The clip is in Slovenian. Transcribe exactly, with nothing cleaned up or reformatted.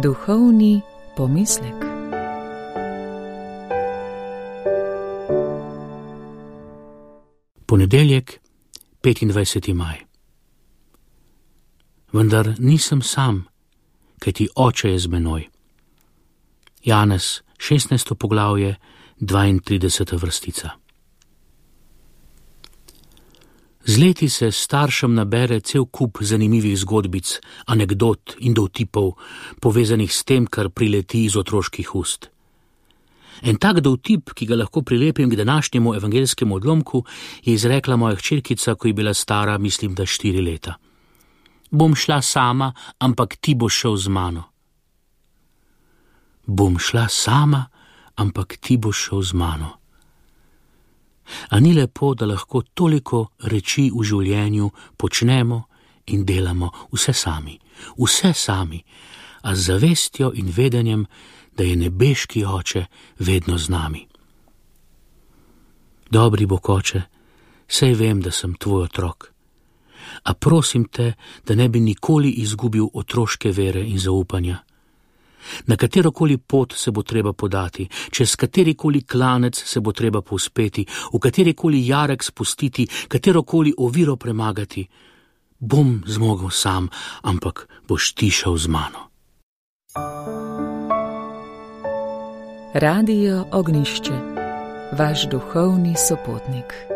Duhovni pomislek. Ponedeljek, petindvajseti maj. Vendar nisem sam, kajti Oče je z menoj. Janez, šestnajsto poglavje, dvaintrideseta vrstica. Z leti se staršem nabere cel kup zanimivih zgodbic, anekdot in dovtipov, povezanih s tem, kar prileti iz otroških ust. En tak dovtip, ki ga lahko prilepim k današnjemu evangeljskemu odlomku, je izrekla moja hčerkica, ko je bila stara, mislim, da štiri leta. Bom šla sama, ampak ti boš šel z mano. Bom šla sama, ampak ti boš šel z mano. A ni lepo, da lahko toliko reči v življenju počnemo in delamo vse sami, vse sami, a z zavestjo in vedenjem, da je nebeški Oče vedno z nami. Dobri Bog Oče, saj vem, da sem tvoj otrok, a prosim te, da ne bi nikoli izgubil otroške vere in zaupanja. Na katerokoli pot se bo treba podati, čez katerikoli klanec se bo treba povzpeti, v katerikoli jarek spustiti, katerokoli oviro premagati. Bom zmogel sam, ampak boš ti šel z mano. Radio Ognjišče, vaš duhovni sopotnik.